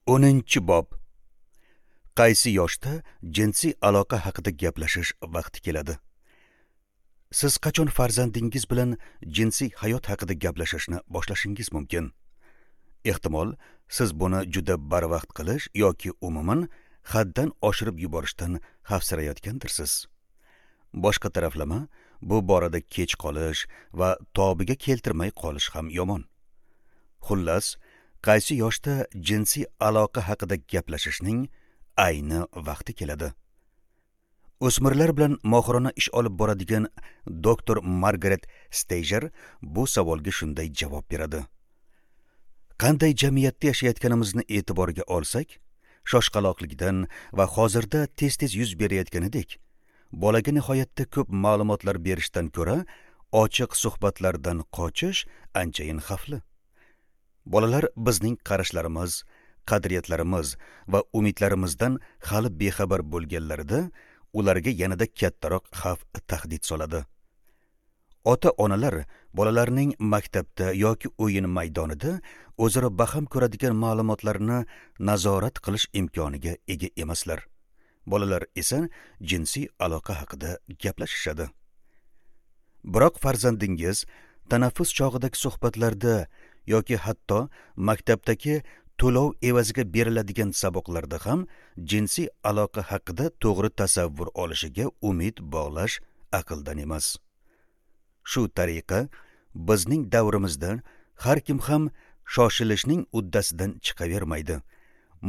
10-bob. Qaysi yoshda jinsiy aloqa haqida gaplashish vaqti keladi? Siz qachon farzandingiz bilan jinsiy hayot haqida gaplashishni boshlashingiz mumkin? Ehtimol, siz buni juda barvaqt qilish yoki umuman haddan oshirib yuborishdan xavfsirayotgandirsiz. Boshqa taraflama, bu borada kech qolish va tobiga keltirmay qolish ham yomon. Xullas, qaysi yoshda jinsiy aloqa haqida gaplashishning ayni vaqti keladi? O'smirlar bilan mohirona ish olib boradigan doktor Margaret Steiger bu savolga shunday javob beradi. Qanday jamiyatda yashayotganimizni e'tiborga olsak, shoshqaloqlikdan va hozirda tez-tez yuz berayotganidek, bolaga nihoyatda ko'p ma'lumotlar berishdan ko'ra ochiq suhbatlardan qochish anchayin xavfli. Bolalar bizning qarashlarimiz, qadriyatlarimiz va umidlarimizdan hali bexabar bo'lganlarida ularga yanada kattaroq xavf tahdid soladi. Ota-onalar bolalarning maktabda yoki o'yin maydonida o'zaro baham ko'radigan ma'lumotlarni nazorat qilish imkoniga ega emaslar. Bolalar esa jinsiy aloqa haqida gaplashishadi. Biroq farzandingiz tanaffus chog'idagi suhbatlarda yoki hatto maktabdagi to'lov evaziga beriladigan saboqlarda ham jinsiy aloqa haqida to'g'ri tasavvur olishiga umid bog'lash aqldan emas. Shu tariqa bizning davrimizda har kim ham shoshilishning uddasidan chiqavermaydi.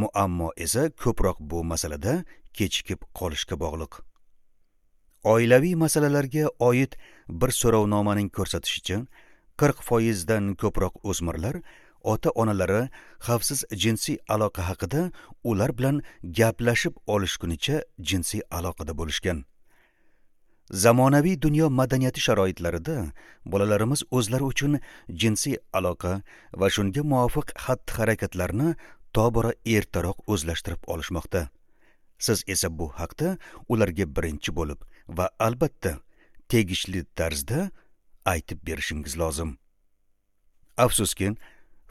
Muammo esa ko'proq bu masalada kechikib qolishga bog'liq. Oilaviy masalalarga oid bir so'rovnomaning ko'rsatishicha, 40% dan ko'proq o'smirlar ota-onalari xavfsiz jinsiy aloqa haqida ular bilan gaplashib olishgunicha jinsiy aloqada bo'lishgan. Zamonaviy dunyo madaniyati sharoitlarida bolalarimiz o'zlari uchun jinsiy aloqa va shunga muvofiq xatti-harakatlarni tobora ertaroq o'zlashtirib olishmoqda. Siz esa bu haqda ularga birinchi bo'lib va albatta tegishli tarzda aytib berishingiz lozim. Afsuski,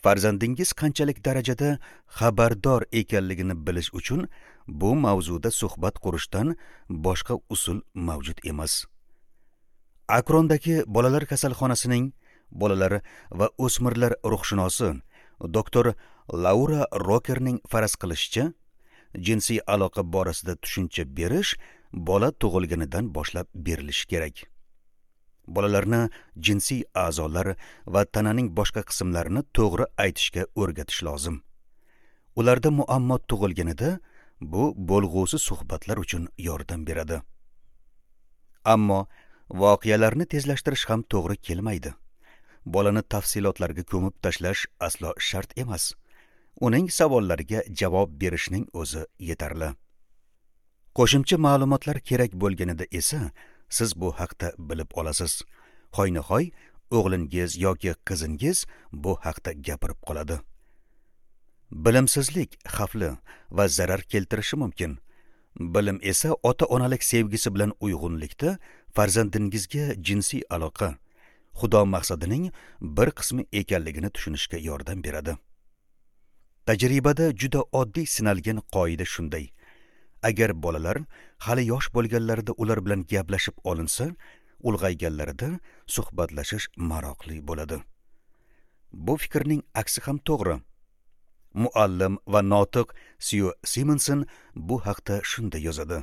farzandingiz qanchalik darajada xabardor ekanligini bilish uchun bu mavzuda suhbat qurishdan boshqa usul mavjud emas. Akrondagi bolalar kasalxonasining bolalar va o'smirlar ruhshunosi doktor Laura Rokerning faraz qilishicha, jinsiy aloqa borasida tushuncha berish bola tug'ilganidan boshlab berilishi kerak. Bolalarni jinsiy a'zolar va tananing boshqa qismlarini to'g'ri aytishga o'rgatish lozim. Ularda muammo tug'ilganida bu bo'lg'usi suhbatlar uchun yordam beradi. Ammo voqealarni tezlashtirish ham to'g'ri kelmaydi. Bolani tafsilotlarga ko'mib tashlash aslo shart emas. Uning savollariga javob berishning o'zi yetarli. Qo'shimcha ma'lumotlar kerak bo'lganida esa siz bu haqda bilib olasiz. Hoynahoy o'g'lingiz yoki qizingiz bu haqda gapirib qoladi. Bilimsizlik xavfli va zarar keltirishi mumkin. Bilim esa ota-onalik sevgisi bilan uyg'unlikda farzandingizga jinsiy aloqa Xudo maqsadining bir qismi ekanligini tushunishga yordam beradi. Tajribada juda oddiy sinalgan qoida shunday. Agar bolalar hali yosh bo'lganlarida ular bilan gaplashib olinsa, ulg'ayganlarida suhbatlashish maroqli bo'ladi. Bu fikrning aksi ham to'g'ri. Muallim va notiq Syu Simonson bu haqda shunday yozadi.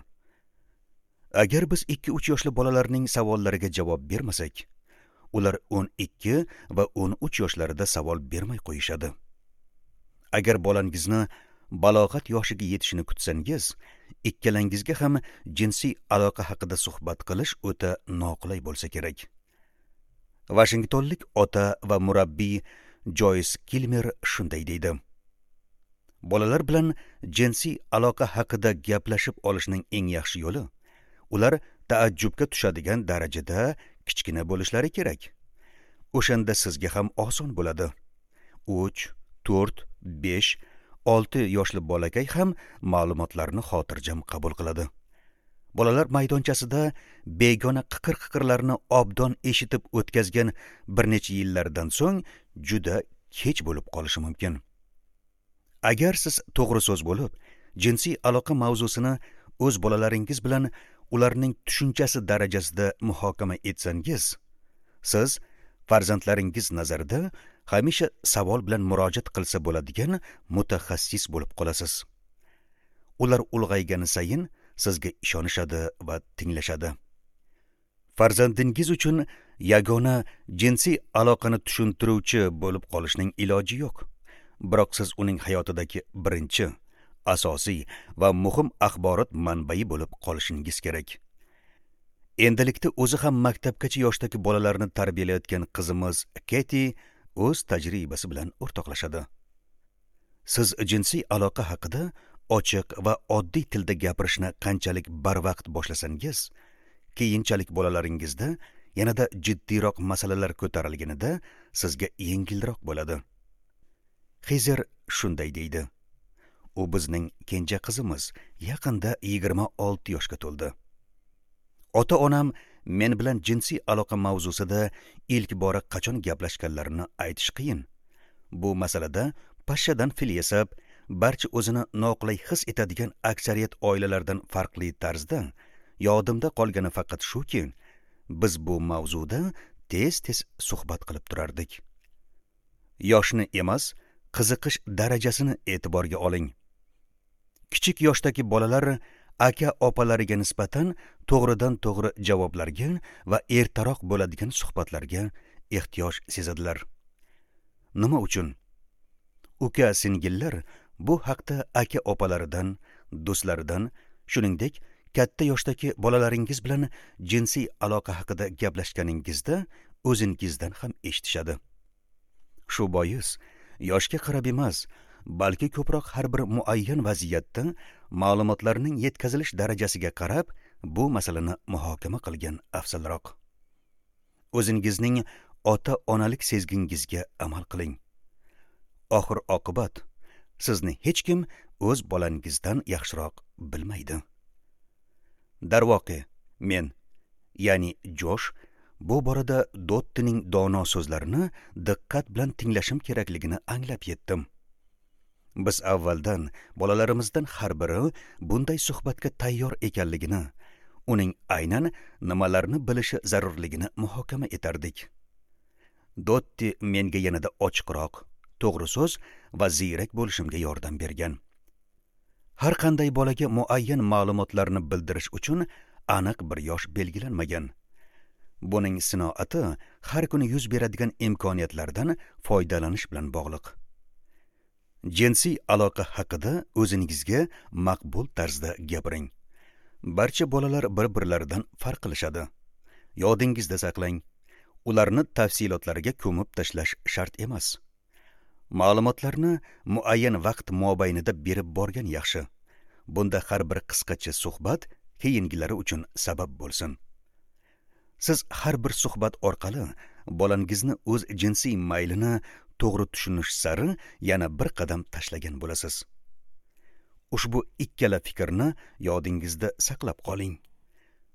Agar biz 2-3 yoshli bolalarning savollariga javob bermasak, ular 12 va 13 yoshlarida savol bermay qo'yishadi. Agar bolangizni balog'at yoshiga yetishini kutsangiz, ikkalangizga ham jinsiy aloqa haqida suhbat qilish o'ta noqulay bo'lsa kerak. Vashingtonlik ota va murabbiy Joyce Kilmer shunday deydi. Bolalar bilan jinsiy aloqa haqida gaplashib olishning eng yaxshi yo'li ular taajjubga tushadigan darajada kichkina bo'lishlari kerak. O'shanda sizga ham oson bo'ladi. 3, 4, 5, 6 yoshli bolakay ham ma'lumotlarni xotirjam qabul qiladi. Bolalar maydonchasida begona qiqir-qiqirlarni obdon eshitib o'tkazgan bir necha yillardan so'ng juda kech bo'lib qolishi mumkin. Agar siz to'g'ri so'z bo'lib, jinsiy aloqa mavzusini o'z bolalaringiz bilan ularning tushunchasi darajasida muhokama etsangiz, siz farzandlaringiz nazarida hamisha savol bilan murojaat qilsa bo'ladigan mutaxassis bo'lib qolasiz. Ular ulg'aygani sayin sizga ishonishadi va tinglashadi. Farzandingiz uchun yagona jinsiy aloqani tushuntiruvchi bo'lib qolishning iloji yo'q. Biroq siz uning hayotidagi birinchi, asosiy va muhim axborot manbai bo'lib qolishingiz kerak. Endilikda o'zi ham maktabgacha yoshdagi bolalarni tarbiyalayotgan qizimiz Keti o'z tajribasi bilan o'rtoqlashadi. Siz jinsiy aloqa haqida ochiq va oddiy tilda gapirishni qanchalik barvaqt boshlasangiz, keyinchalik bolalaringizda yanada jiddiyroq masalalar ko'tarilganida sizga yengilroq bo'ladi. Xizer shunday deydi. U bizning kenja qizimiz, yaqinda 26 yoshga to'ldi. Ota-onam men bilan jinsiy aloqa mavzusida ilk bora qachon gaplashganlarini aytish qiyin. Bu masalada pashshadan fil yasab, barcha o'zini noqulay his etadigan aksariyat oilalardan farqli tarzda yodimda qolgani faqat shuki, biz bu mavzuda tez-tez suhbat qilib turardik. Yoshni emas, qiziqish darajasini e'tiborga oling. Kichik yoshdagi bolalar aka opalariga nisbatan to'g'ridan-to'g'ri javoblarga va ertaroq bo'ladigan suhbatlarga ehtiyoj sezadilar. Nima uchun? Uka singillar bu haqda aka opalaridan, do'stlaridan, shuningdek, katta yoshdagi bolalaringiz bilan jinsiy aloqa haqida gaplashganingizda o'zingizdan ham eshitishadi. Shu bois yoshga qarab emas, balki ko'proq har bir muayyan vaziyatda ma'lumotlarning yetkazilish darajasiga qarab bu masalani muhokama qilgan afzalroq. O'zingizning ota-onalik sezgingizga amal qiling. Oxir oqibat sizni hech kim o'z bolangizdan yaxshiroq bilmaydi. Darvoqe, men, ya'ni Josh, bu borada Dottining dono so'zlarini diqqat bilan tinglashim kerakligini anglab yetdim. Biz avvaldan bolalarimizdan har biri bunday suhbatga tayyor ekanligini, uning aynan nimalarni bilishi zarurligini muhokama etardik. Dotti menga yanada ochiqroq, to'g'ri so'z va ziyrak bo'lishimga yordam bergan. Har qanday bolaga muayyan ma'lumotlarni bildirish uchun aniq bir yosh belgilanmagan. Buning sinoati har kuni yuz beradigan imkoniyatlardan foydalanish bilan bog'liq. Jinsiy aloqa haqida o'zingizga maqbul tarzda gapiring. Barcha bolalar bir-birlaridan farq qilishadi. Yodingizda saqlang, ularni tafsilotlarga ko'mib tashlash shart emas. Ma'lumotlarni muayyan vaqt mobaynida berib borgan yaxshi. Bunda har bir qisqacha suhbat keyingilari uchun sabab bo'lsin. Siz har bir suhbat orqali bolangizni o'z jinsiy maylini to'g'ri tushunish sari yana bir qadam tashlagan bo'lasiz. Ushbu ikkala fikrni yodingizda saqlab qoling.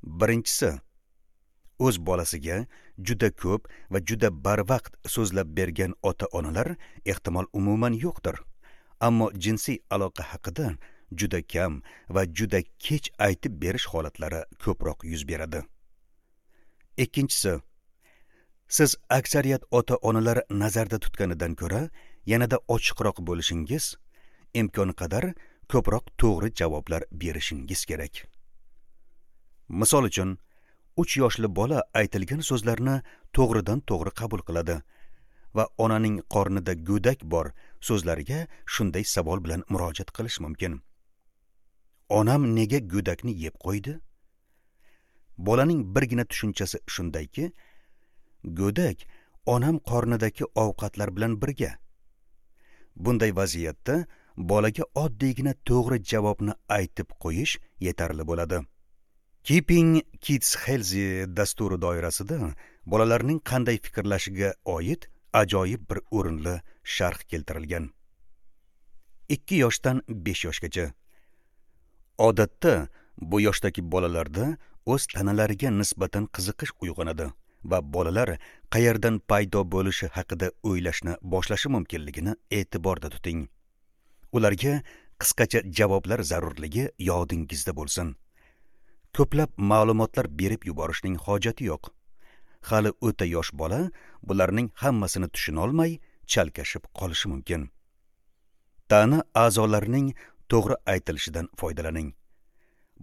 Birinchisi, o'z bolasiga juda ko'p va juda barvaqt so'zlab bergan ota-onalar ehtimol umuman yo'qdir. Ammo jinsiy aloqa haqida juda kam va juda kech aytib berish holatlari ko'proq yuz beradi. Ikkinchisi, siz aksariyat ota-onalar nazarda tutganidan ko'ra yanada ochiqroq bo'lishingiz, imkon qadar ko'proq to'g'ri javoblar berishingiz kerak. Misol uchun, 3 yoshli bola aytilgan so'zlarni to'g'ridan-to'g'ri qabul qiladi va onaning qornida go'dak bor so'zlariga shunday savol bilan murojaat qilish mumkin. Onam nega go'dakni yeb qo'ydi? Bolaning birgina tushunchasi shundayki, go'dak onam qornidagi ovqatlar bilan birga. Bunday vaziyatda bolaga oddiygina to'g'ri javobni aytib qo'yish yetarli bo'ladi. Keeping Kids Healthy dasturi doirasida bolalarning qanday fikrlashiga oid ajoyib bir o'rinli sharh keltirilgan. 2 yoshdan 5 yoshgacha. Odatda bu yoshdagi bolalarda o'z tanalariga nisbatan qiziqish uyg'onadi va bolalar qayerdan paydo bo'lishi haqida o'ylashni boshlashi mumkinligini e'tiborda tuting. Ularga qisqacha javoblar zarurligi yodingizda bo'lsin. Ko'plab ma'lumotlar berib yuborishning hojati yo'q. Hali o'ta yosh bola bularning hammasini tushuna olmay chalkashib qolishi mumkin. Tana a'zolarining to'g'ri aytilishidan foydalaning.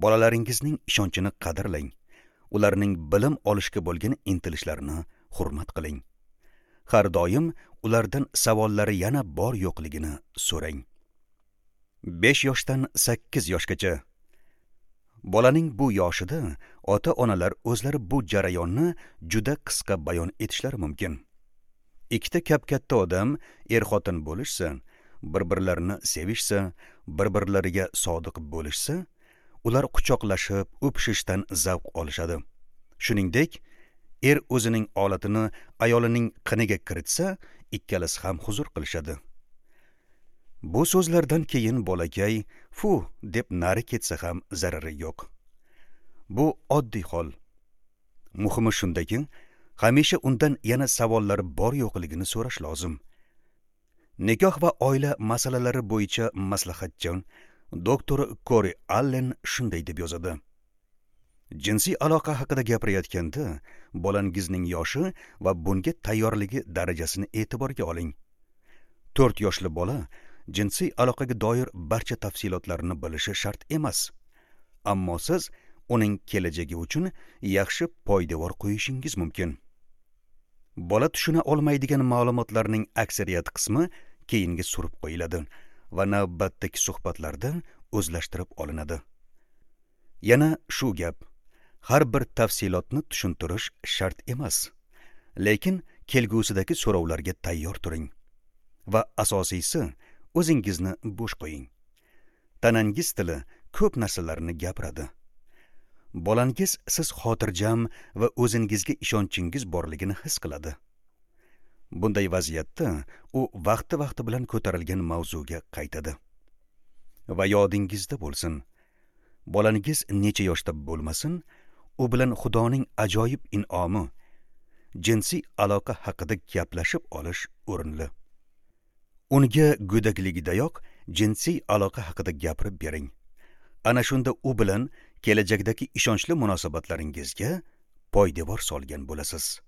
Bolalaringizning ishonchini qadrlang. Ularning bilim olishga bo'lgan intilishlarini hurmat qiling. Har doim ulardan savollari yana bor yo'qligini so'rang. 5 yoshdan 8 yoshgacha. Bolaning bu yoshida ota-onalar o'zlari bu jarayonni juda qisqa bayon etishlari mumkin. Ikkita kap-katta odam er-xotin bo'lishsa, bir-birlarini sevishsa, bir-birlariga sodiq bo'lishsa, ular quchoqlashib, o'pishishdan zavq olishadi. Shuningdek, er o'zining olatini ayolining qiniga kiritsa, ikkalasi ham huzur qilishadi. Bu so'zlardan keyin bolakay "fu" deb nari ketsa ham zarari yo'q. Bu oddiy hol. Muhimi shundaki, hamisha undan yana savollar bor yo'qligini so'rash lozim. Nikoh va oila masalalari bo'yicha maslahatchi doktor Kori Allen shunday deb yozadi: Jinsiy aloqa haqida gapirayotganda bolangizning yoshi va bunga tayyorligi darajasini e'tiborga oling. 4 yoshli bola jinsiy aloqaga doir barcha tafsilotlarni bilishi shart emas. Ammo siz uning kelajagi uchun yaxshi poydevor qo'yishingiz mumkin. Bola tushuna olmaydigan ma'lumotlarning aksariyat qismi keyinga surib qo'yiladi va navbatdagi suhbatlarda o'zlashtirib olinadi. Yana shu gap, har bir tafsilotni tushuntirish shart emas, lekin kelgusidagi so'rovlarga tayyor turing va asosiysi o'zingizni bo'sh qo'ying. Tanangiz tili ko'p narsalarni gapiradi. Bolangiz siz xotirjam va o'zingizga ishonchingiz borligini his qiladi. Bunday vaziyatda u vaqti-vaqti bilan ko'tarilgan mavzuga qaytadi. Va yodingizda bo'lsin, bolangiz necha yoshda bo'lmasin, u bilan Xudoning ajoyib in'omi, jinsiy aloqa haqida gaplashib olish o'rinli. Unga go'dakligidayoq jinsiy aloqa haqida gapirib bering. Ana shunda u bilan kelajakdagi ishonchli munosabatlaringizga poydevor solgan bo'lasiz.